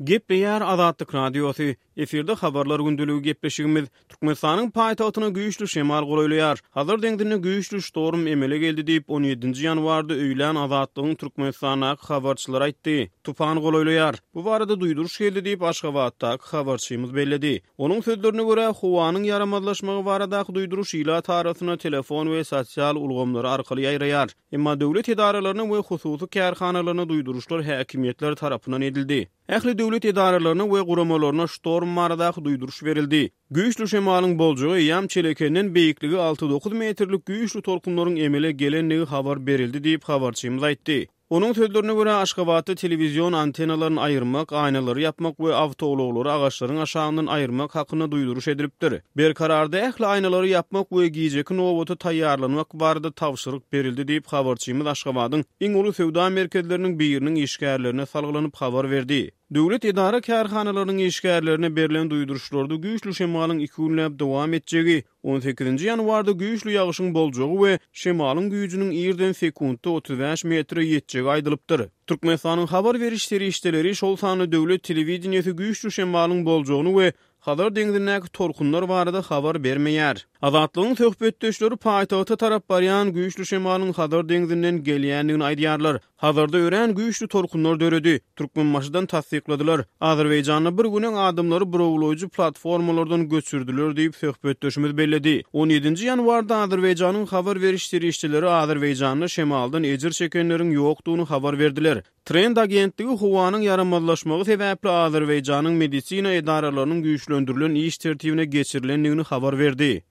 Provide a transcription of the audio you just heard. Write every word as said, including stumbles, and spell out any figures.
Gepleýär Azatlyk Radiosy, efirde Habarlar gündeligi gepleşigimiz. Türkmenistanyň paýtagtyna güýçli şemal golaýlaýar. Hazar deňzinde güýçli ştorm emele geldi diýip, on ýedinji ýanwarda öýlän Azatlygyň Türkmenistandaky habarçylary aýtdy. Tupan golaýlaýar. Bu barada duýduryş geldi diýip, Aşgabatdaky habarçymyz belledi. Onuň sözlerine görä, howanyň ýaramazlaşmagy baradaky duýduryş ilat arasynda telefon we sosial ulgamlary arkaly ýaýraýar. Emma döwlet edaralaryna we hususy kärhanalaryna duýduryşlar häkimiýetler tarapyndan edildi. Ähli döwlet edaralaryna we guramalaryna ştorm baradaky duýduryş berildi. Güýçli şemalyň boljagy eýýäm Çelekenden beýikligi alty-dokuz metrlik güýçli tolkunlaryň emele gelendigi habar berildi diýip, habarçymyz aýtdy. Onuň sözlerine görä, Aşgabatda telewizion antennalaryny aýyrmak, aýnalary ýapmak we awtoulaglary agaçlaryň aşagyndan aýyrmak hakynda duýduryş edilipdir. Berkararda ähli aýnalary ýapmak we gijeki nobata taýýarlanmak barada tabşyryk berildi diýip, habarçymyz Aşgabadyň iň uly söwda merkezleriniň biriniň işgärlerine salgylanyp habar berdi. Döwlet edara-kärhanalarynyň işgärlerine berlen duýduryşlarda güýçli şemalyň iki günläp dowam etjegi, on sekizinji ýanwarda güýçli ýagyşyň boljagy we şemalyň güýjüniň irden sekuntda otuz bäş metre ýetjegi aýdylypdyr. Türkmenistanyň habar beriş serişdeleri, şol sanda döwlet telewideniýesi güýçli şemalyň boljagyny we Hazar deňzindäki tolkunlar barada habar bermeýär. Azatlygyň söhbetdeşleri paýtagta tarap barýan güýçli şemalyň Hazar deňzinden gelýändigini aýdýarlar. Hazarda örän güýçli tolkunlar döredi. Türkmenbaşydan tassykladylar. Azerbaýjanda bir gün öň adamlary burawlaýjy platformalardan göçürdiler diýip, söhbetdeşimiz belledi. On ýedinji ýanwarda Azerbaýjanyň habar beriş serişdeleri Azerbaýjanda şemaldan ejir çekenleriň ýokdugyny habar berdiler. Trend agentligi howanyň ýaramazlaşmagy sebäpli Azerbaýjanyň medisina edaralarynyň güýçlendirilen iş tertibine geçirilendigini habar berdi.